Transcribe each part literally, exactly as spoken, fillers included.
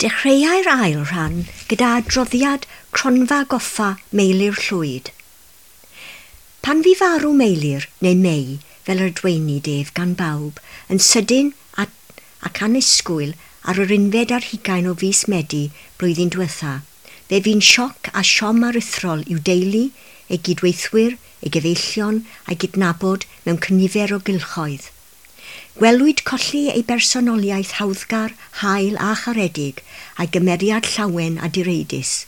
Dechreuai'r ail rhan gyda adroddiad Cronfa Goffa Meilir Llwyd. Pan fu farw Meilir, neu Mei, fel yr dweinid ef gan bawb, yn sydyn ac annisgwyl ar yr unfed ar hugain o fis Medi blwyddyn diwetha, fe fu'n sioc a siom aruthrol i'w deulu, ei gydweithwyr, ei gyfeillion a'i gydnabod mewn cynifer o gylchoedd. Gwelwyd colli ei bersonoliaeth hawddgar, hael a charedig, a'i gymeriad llawen a direidus.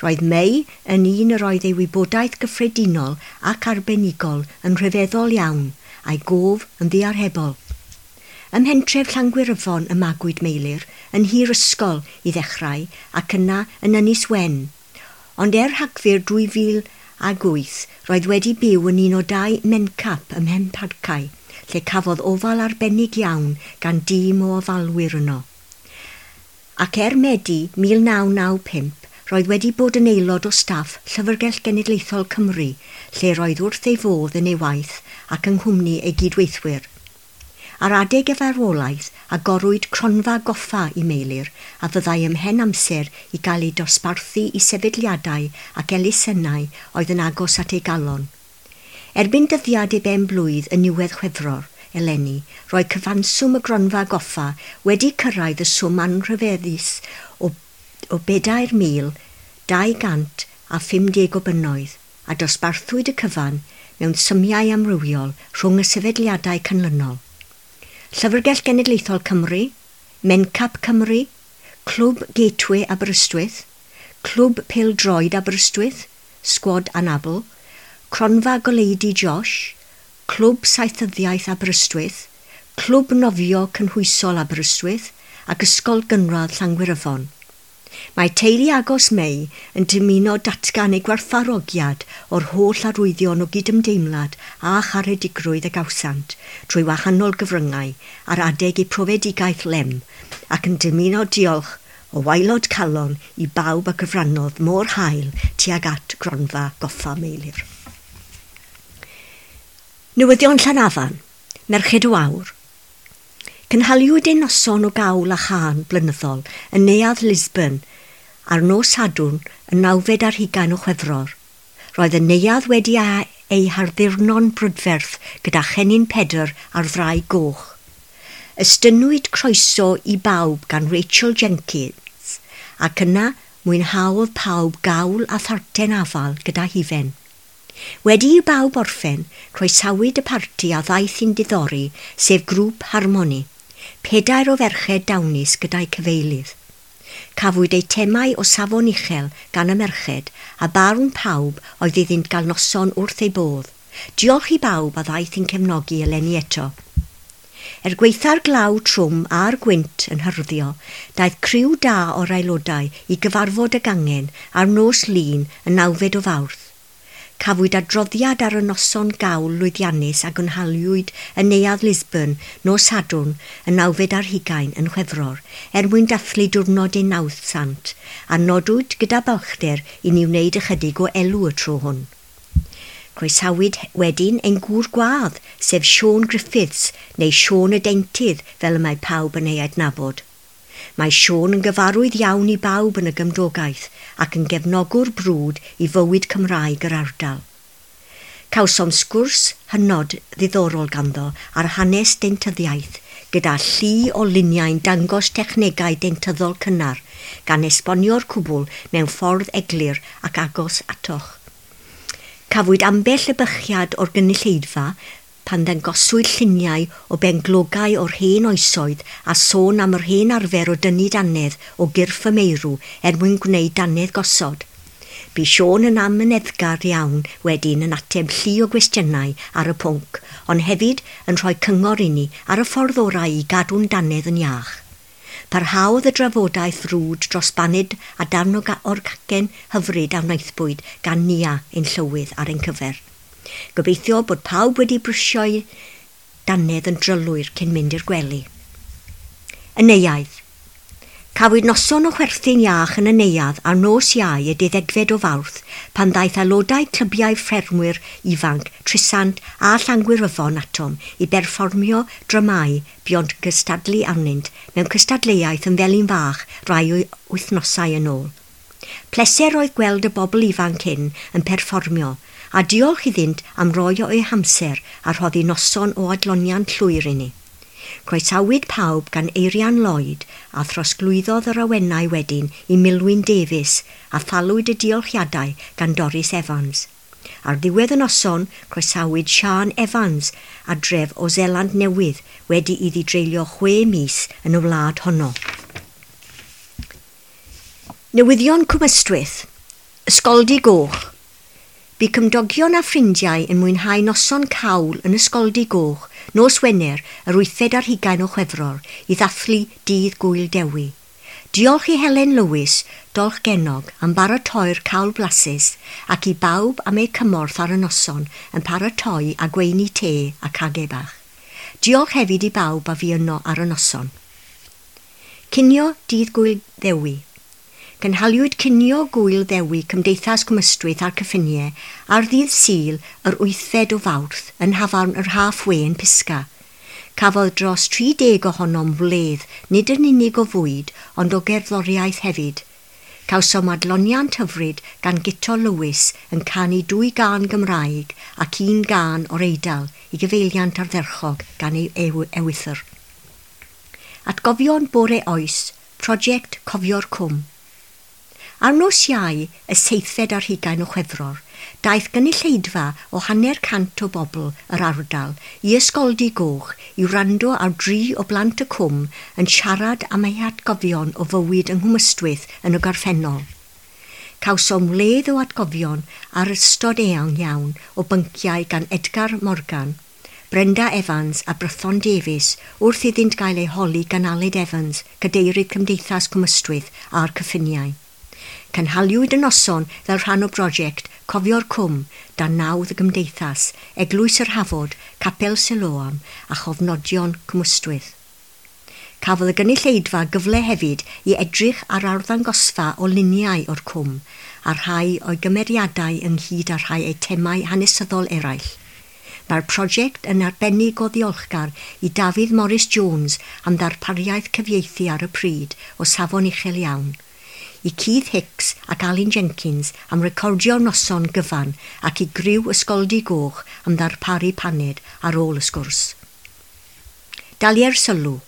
Roedd Mei yn un yr oedd ei wybodaeth gyffredinol ac arbenigol yn rhyfeddol iawn, a'i gof yn ddiarhebol. Ym mhentref Llangwyryfon y magwyd Meilir, yn hir ysgol i ddechrau ac yna yn Ynys Wen. Ond er Rhagfyr dwy fil ag wyth, roedd wedi byw yn un o dau mencap ym Mhenparcau, lle cafodd ofal arbennig iawn gan dîm o ofalwyr yno. Ac er Medi mil naw naw pump, roedd wedi bod yn aelod o staff Llyfrgell Genedlaethol Cymru, lle roedd wrth ei fodd yn ei waith ac yng nghwmni ei gydweithwyr. Ar adeg y farwolaeth, agorwyd cronfa goffa i Meilir, a fyddai ymhen amser i gael ei dosbarthu i sefydliadau ac elusennau oedd yn agos at ei galon. Erbyn dyddiad ei ben blwydd yn niwedd Chwefror eleni, roedd cyfanswm y gronfa goffa wedi cyrraedd y swm anrhyfeddus o, o bedair mil dau gant a phum deg o bunnoedd, a dosbarthwyd y cyfan mewn symiau amrywiol rhwng y sefydliadau canlynol. Llyfrgell Genedlaethol Cymru, Mencap Cymru, Clwb Gateway Aberystwyth, Clwb Pêl-droed Aberystwyth, Sgwad Anabl, Cronfa Goleudy Josh, Clwb Saethyddiaeth Aberystwyth, Clwb Nofio Cynhwysol Aberystwyth ac Ysgol Gynradd Llangwyryfon. Mae teulu agos Mei yn dymuno datgan ei gwerthfawrogiad o'r holl arwyddion o gydymdeimlad a charedigrwydd y gawsant trwy wahanol gyfryngau ar adeg eu profedigaeth lem ac yn dymuno diolch o waelod calon i bawb a gyfrannodd mor hael tuag at gronfa goffa Meilir. Newyddion Llanafan, Merched y Wawr. Cynhaliwyd ein noson o gawl a chân blynyddol yn Neuadd Lisbon ar nos Sadwrn y nawfed ar hugain o Chwefror. Roedd y neuadd wedi ei harddurno'n brydferth gyda chennin Pedr ar frai goch. Estynnwyd croeso i bawb gan Rachel Jenkins ac yna mwynhaodd pawb gawl a tharten afal gyda hufen. Wedi i bawb orffen, croesawyd y parti a ddaeth i'n diddori, sef grŵp Harmoni, pedair o ferched dawnus gyda'i cyfeilydd. Cafwyd eitemau o safon uchel gan y merched a barn pawb oedd iddynt gael noson wrth ei bodd. Diolch i bawb a ddaeth i'n cefnogi eleni eto. Er gwaetha'r glaw trwm a'r gwynt yn hyrddio, daeth criw da o'r aelodau i gyfarfod y gangen ar nos Lun y nawfed o Fawrth. Cafwyd adroddiad ar y noson gawl lwyddiannus a gynhaliwyd yn Neuadd Lisbon nos Sadwrn y nawfed ar hugain yn Chwefror er mwyn dathlu diwrnod ei nawdd sant, a nodwyd gyda balchder i ni wneud ychydig o elw y tro hwn. Croesawyd wedyn ein gŵr gwadd, sef Siôn Griffiths, neu Siôn y Deintydd fel y mae pawb yn ei adnabod. Mae Siôn yn gyfarwydd iawn i bawb yn y gymdogaeth ac yn gefnogwr brwd i fywyd Cymraeg yr ardal. Cawsom sgwrs hynod ddiddorol ganddo ar hanes deintyddiaeth, gyda llu o luniau'n dangos technegau deintyddol cynnar, gan esbonio'r cwbl mewn ffordd eglur ac agos atoch. Cafwyd ambell ebychiad o'r gynulleidfa pan ddangoswyd lluniau o benglogau o'r hen oesoedd a sôn am yr hen arfer o dynnu dannedd o gyrff y meirw er mwyn gwneud dannedd gosod. Bu Siôn yn amyneddgar iawn wedyn yn ateb llu o gwestiynau ar y pwnc, ond hefyd yn rhoi cyngor i ni ar y ffordd orau i gadw'n dannedd yn iach. Parhaodd y drafodaeth frwd dros baned a darn o'r cacen hyfryd a wnaethpwyd gan Nia ein llywydd ar ein cyfer. Gobeithio bod pawb wedi brwsio'i dannedd yn drylwyr cyn mynd i'r gwely. Y neuadd. Cafwyd noson o chwerthin iach yn y neuadd ar nos Iau y deuddegfed o Fawrth pan ddaeth aelodau clybiau ffermwyr ifanc Trisant a Llangwyryfon atom i berfformio dramâu buont yn cystadlu arnynt mewn cystadleuaeth yn Felin Fach rai wythnosau yn ôl. Pleser oedd gweld y bobl ifanc hyn yn perfformio a diolch iddynt am roi o'u hamser a rhoddi noson o adloniant llwyr i ni. Croesawyd pawb gan Eirian Lloyd a throsglwyddodd yr awenau wedyn i Milwyn Davies a thalwyd y diolchiadau gan Doris Evans. Ar ddiwedd y noson, croesawyd Sian Evans adref o Seland Newydd wedi iddi dreulio chwe mis yn y wlad honno. Newyddion Cwmystwyth. Ysgoldy Goch. Bu cymdogion a ffrindiau yn mwynhau noson cawl yn Ysgoldy Goch nos Wener yr wythfed ar hugain o Chwefror i ddathlu Dydd Gŵyl Dewi. Diolch i Helen Lewis, Dolchgennog, am baratoi'r cawl blasus ac i bawb am eu cymorth ar y noson yn paratoi a gweini te a cage bach. Diolch hefyd i bawb a fu yno ar y noson. Cinio Dydd Gŵyl Ddewi. Cynhaliwyd cinio Gŵyl Ddewi Cymdeithas Cwmystwyth a'r Cyffiniau ar ddydd Sul yr wythfed o Fawrth yn nhafarn yr Halfway yn Pisga. Cafodd dros tri deg ohonom wledd, nid yn unig o fwyd, ond o gerddoriaeth hefyd. Cawsom adloniant hyfryd gan Guto Lewis yn canu dwy gân Gymraeg ac un gân o'r Eidal i gyfeiliant ardderchog gan ei ewythr. Atgofion Bore Oes, Prosiect Cofio'r Cwm. Ar nos Iau, y seithfed ar hugain o Chwefror, daeth gynulleidfa o hanner cant o bobl yr ardal i Ysgoldy Goch i wrando ar dri o blant y cwm yn siarad am eu hatgofion o fywyd yng Nghwmystwyth yn y gorffennol. Cawsom wledd o atgofion ar ystod eang iawn o bynciau gan Edgar Morgan, Brenda Evans a Brython Davies wrth iddynt gael eu holi gan Aled Evans, cadeirydd Cymdeithas Cwmystwyth a'r Cyffiniau. Cynhaliwyd y noson fel rhan o brosiect Cofio'r Cwm dan nawdd y Gymdeithas, Eglwys yr Hafod, Capel Siloam a Chofnodion Cwmystwyth. Cafodd y gynulleidfa gyfle hefyd i edrych ar arddangosfa o luniau o'r cwm a rhai o'i gymeriadau ynghyd â rhai eitemau hanesyddol eraill. Mae'r prosiect yn arbennig o ddiolchgar i Dafydd Morris Jones am ddarpariaeth cyfieithu ar y pryd o safon uchel iawn, i Keith Hicks ac Alun Jenkins am recordio'r noson gyfan ac i griw Ysgoldy Goch am ddarparu paned ar ôl y sgwrs. Dalier sylw.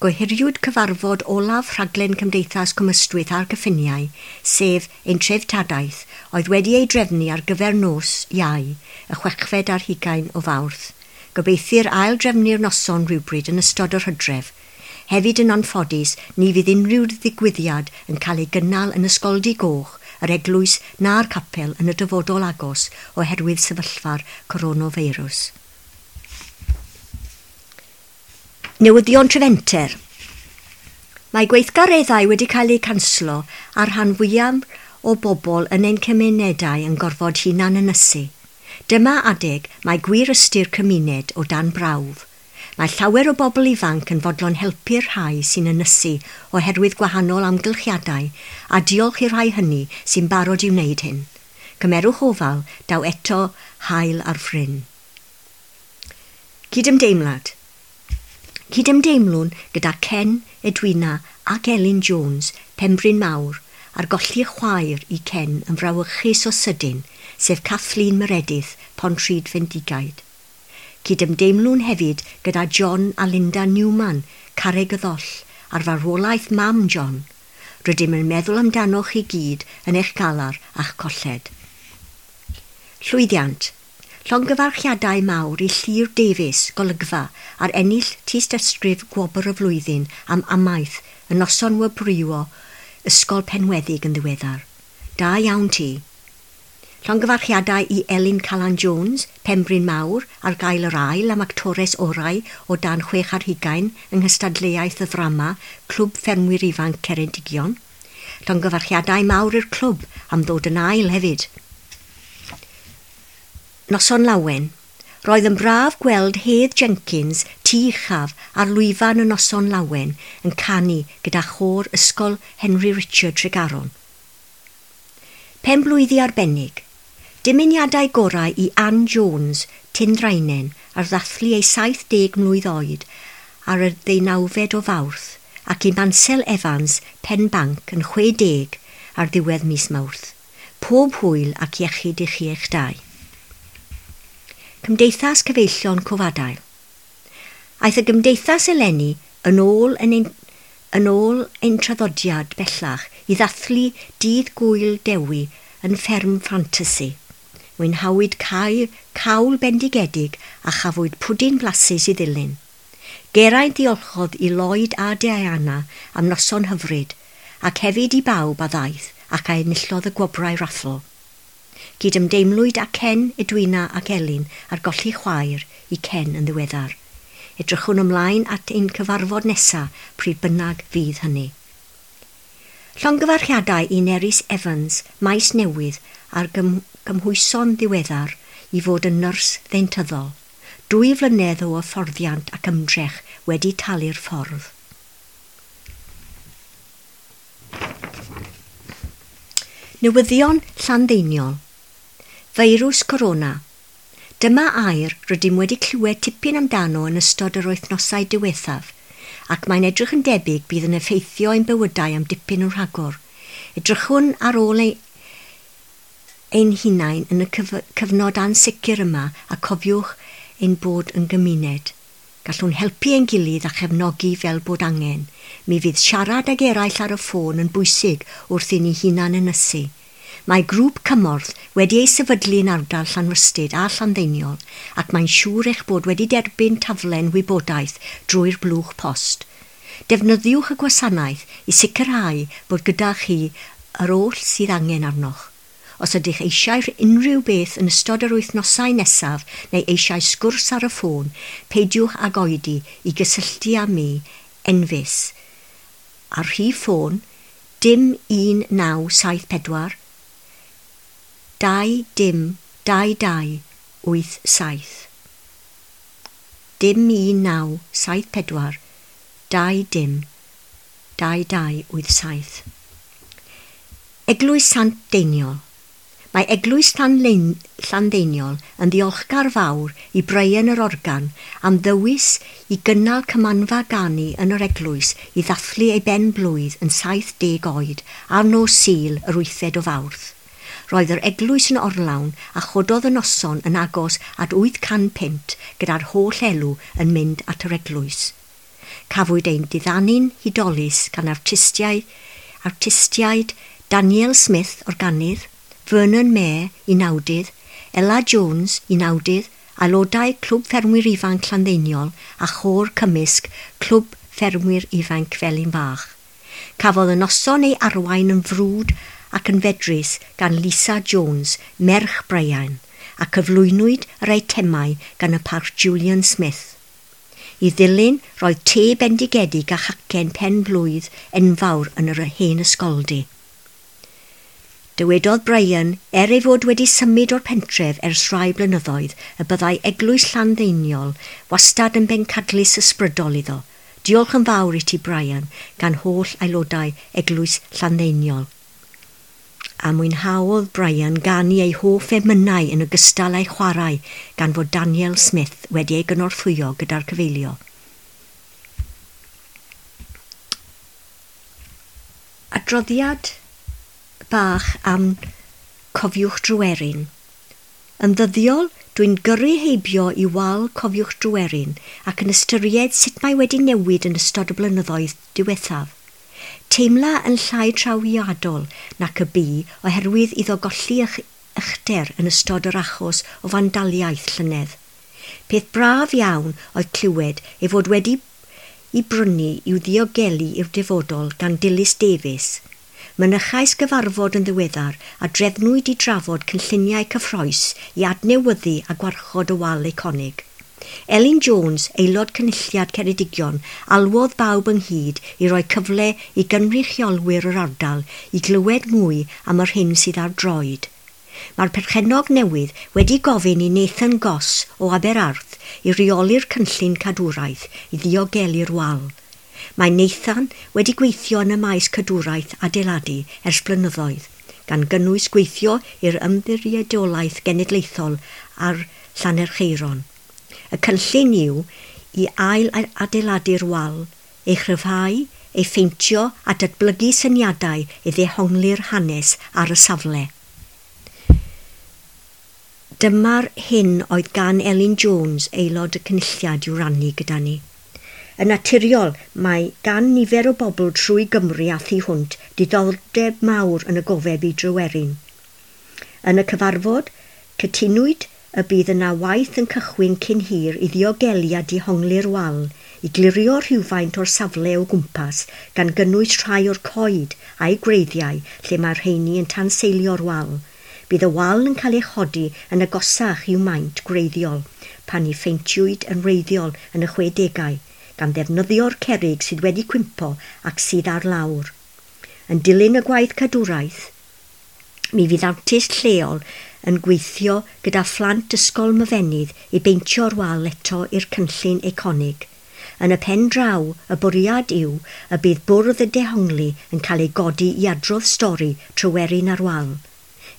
Gohiriwyd cyfarfod olaf rhaglen Cymdeithas Cwmystwyth a'r Cyffiniau, sef ein treftadaeth, oedd wedi ei drefnu ar gyfer nos Iau, y chwechfed ar hugain o Fawrth. Gobeithir ail drefnu'r noson rhywbryd yn ystod yr hydref. Hefyd yn anffodus, ni fydd unrhyw ddigwyddiad yn cael ei gynnal yn Ysgoldy Goch, yr eglwys na'r capel yn y dyfodol agos oherwydd sefyllfa'r coronafeirws. Newyddion Trefenter. Mae gweithgareddau wedi cael eu canslo a'r rhan fwyaf o bobl yn ein cymunedau yn gorfod hunan ynysu. Dyma adeg mae gwir ystyr cymuned o dan brawf. Mae llawer o bobl ifanc yn fodlon helpu'r rhai sy'n ynysu oherwydd gwahanol amgylchiadau a diolch i'r rhai hynny sy'n barod i wneud hyn. Cymerwch ofal, daw eto haul ar fryn. Cydymdeimlad. Cydymdeimlwn gyda Ken, Edwina ac Elin Jones, Penbryn Mawr, ar golli chwaer i Ken yn frawychus o sydyn, sef Kathleen Meredith, Pontrhyd Fendigaid. Cydymdeimlwn hefyd gyda John a Linda Newman, Carreg y Ddoll, ar farwolaeth mam John. Rydym yn meddwl amdanoch chi gyd yn eich galar a'ch colled. Llwyddiant. Llongyfarchiadau mawr i Llyr Davies, Golygfa, ar ennill tystysgrif Gwobr y Flwyddyn am amaeth y noson wobrwyo Ysgol Penweddig yn ddiweddar. Da iawn ti. Llongyfarchiadau i Elin Calan Jones, Penbryn Mawr, ar gael yr ail am actores orau o dan chwech ar hugain yng nghystadleuaeth y ddrama Clwb Ffermwyr Ifanc Ceredigion. Llongyfarchiadau mawr i'r clwb am ddod yn ail hefyd. Noson Lawen. Roedd yn braf gweld Hedd Jenkins, Tŷ Uchaf ar lwyfan y noson lawen yn canu gyda chôr Ysgol Henry Richard Tregaron. Penblwyddi arbennig. Dymuniadau gorau i Ann Jones, Tyndraenen, ar ddathlu ei saith deg mlwydd oed ar y ddeunawfed o Fawrth ac i Mansel Evans, Penbanc, yn chwe deg ar ddiwedd mis Mawrth. Pob hwyl ac iechyd i chi eich dau. Cymdeithas Cyfeillion Cofadail. Aeth y gymdeithas eleni yn ôl yn ein, yn ôl ein traddodiad bellach i ddathlu dydd Gŵyl Dewi yn fferm ffantasi. Mwynhawyd cael, cawl bendigedig a chafwyd pwdin blasus i ddilyn. Geraint ddiolchodd i Lloyd a Diana am noson hyfryd ac hefyd i bawb a ddaeth ac a enillodd y gwobrau raffl. Cydymdeimlwyd â Ken, Edwina ac Elin ar golli chwaer i Ken yn ddiweddar. Edrychwn ymlaen at ein cyfarfod nesaf pryd bynnag fydd hynny. Llongyfarchiadau i Nerys Evans, Maes Newydd, ar gym gymhwyso'n ddiweddar i fod yn nyrs ddeintyddol. Dwy flynedd o hyfforddiant ac ymdrech wedi talu'r ffordd. Newyddion Llanddeiniol. Feirws Corona. Dyma air rydym wedi clywed tipyn amdano yn ystod yr wythnosau diwethaf, ac mae'n edrych yn debyg bydd yn effeithio ein bywydau am dipyn yn rhagor. Edrychwn ar ôl ei, ein hunain yn y cyf cyfnod ansicr yma a cofiwch ein bod yn gymuned. Gallwn helpu ein gilydd a chefnogi fel bod angen. Mi fydd siarad ag eraill ar y ffôn yn bwysig wrth i ni hunan ynysu. Mae grŵp cymorth wedi ei sefydlu yn ardal Llanrhystud a Llanddeiniol ac mae'n siŵr eich bod wedi derbyn taflen wybodaeth drwy'r blwch post. Defnyddiwch y gwasanaeth i sicrhau bod gyda chi yr oll sydd angen arnoch. Os ydych eisiau unrhyw beth yn ystod yr wythnosau nesaf neu eisiau sgwrs ar y ffôn, peidiwch ag oedi i gysylltu â mi, Enfys, ar rhif ffôn dim un naw saith pedwar dau dim dau dau wyth saith. Dim un naw saith pedwar dau dim dau dau wyth saith. Eglwys Sant Deiniol. Mae Eglwys Llanddeiniol yn ddiolchgar fawr i Brian yr Organ am ddewis i gynnal cymanfa ganu yn yr eglwys i ddathlu ei ben blwydd yn saith deg oed ar nos Sul yr wythfed o Fawrth. Roedd yr eglwys yn orlawn a chododd y noson yn agos at wyth can punt gyda'r holl elw yn mynd at yr eglwys. Cafwyd ein diddanu'n hudolus gan artistiaid, artistiaid Daniel Smith, organydd, Vernon Mayer, unawdydd, Ella Jones, unawdydd, aelodau Clwb Ffermwyr Ifanc Llanddeiniol a chôr cymysg Clwb Ffermwyr Ifanc Felin Fach. Cafodd y noson ei arwain yn frwd ac yn fedrus gan Lisa Jones, merch Brian, a cyflwynwyd yr eitemau gan y parch Julian Smith. I ddilyn, roedd te bendigedig a chacen pen blwydd enfawr yn yr hen ysgoldy. Dywedodd Brian, er ei fod wedi symud o'r pentref ers rhai blynyddoedd, y byddai Eglwys Llanddeiniol wastad yn bencadlys ysbrydol iddo. Diolch yn fawr i ti, Brian, gan holl aelodau Eglwys Llanddeiniol. A mwynhaodd Brian ganu ei hoff emynau yn ogystal â'i chwarae gan fod Daniel Smith wedi ei gynorthwyo gyda'r cyfeilio. Adroddiad bach am Cofiwch Dryweryn. Yn ddyddiol, dwi'n gyrru heibio i wal Cofiwch Dryweryn ac yn ystyried sut mae wedi newid yn ystod y blynyddoedd diwethaf. Teimla yn llai trawiadol nac y bu oherwydd iddo golli uchder yn ystod yr achos o fandaliaeth llynedd. Peth braf iawn oedd clywed ei fod wedi i brynu i'w ddiogelu i'r dyfodol gan Dilys Davies. Mynychais gyfarfod yn ddiweddar a drefnwyd i drafod cynlluniau cyffrous i adnewyddu a gwarchod y wal eiconig. Elin Jones, aelod cynulliad Ceredigion, alwodd bawb ynghyd i roi cyfle i gynrychiolwyr yr ardal i glywed mwy am yr hyn sydd ar droed. Mae'r perchennog newydd wedi gofyn i Nathan Goss o Aberarth i reoli'r cynllun cadwraeth i ddiogelu'r wal. Mae Nathan wedi gweithio yn y maes cadwraeth adeiladu ers blynyddoedd, gan gynnwys gweithio i'r Ymddiriedolaeth Genedlaethol ar Llanerchaeron. Y cynllun yw i ail adeiladu'r wal, ei chryfhau, ei pheintio a datblygu syniadau i ddehongli'r hanes ar y safle. Dyma'r hyn oedd gan Elin Jones, aelod y cynulliad, i'w rannu gyda ni. Yn naturiol, mae gan nifer o bobl trwy Gymru a thu hwnt diddordeb mawr yn y gofeb i Dryweryn. Yn y cyfarfod, cytunwyd y bydd yna waith yn cychwyn cyn hir i ddiogelu a dehongli'r wal, i glirio rhywfaint o'r safle o gwmpas, gan gynnwys rhai o'r coed a'i gwreiddiau lle mae'r rheini yn tanseilio'r wal. Bydd y wal yn cael ei chodi yn agosach i'w maint gwreiddiol, pan ei pheintiwyd yn wreiddiol yn y chwedegau, gan ddefnyddio'r cerrig sydd wedi cwympo ac sydd ar lawr. Yn dilyn y gwaith cadwraeth, mi fydd artist lleol yn gweithio gyda phlant ysgol Myfenydd i beintio'r wal eto i'r cynllun eiconig. Yn y pen draw, y bwriad yw y bydd bwrdd y dehongli yn cael ei godi i adrodd stori Tryweryn ar wal.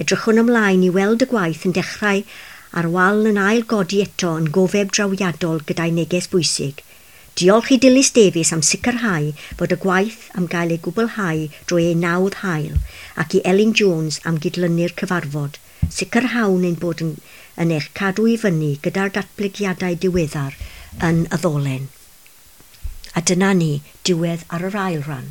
Edrychwn ymlaen i weld y gwaith yn dechrau a'r wal yn ail godi eto yn gofeb drawiadol gyda'i neges bwysig. Diolch i Dilys Davies am sicrhau bod y gwaith am gael ei gwblhau drwy ei nawdd hael ac i Elin Jones am gydlynu'r cyfarfod. Sicrhawn ein bod yn, yn eich cadw i fyny gyda'r datblygiadau diweddar yn y ddolen. A dyna ni, diwedd ar yr ail ran.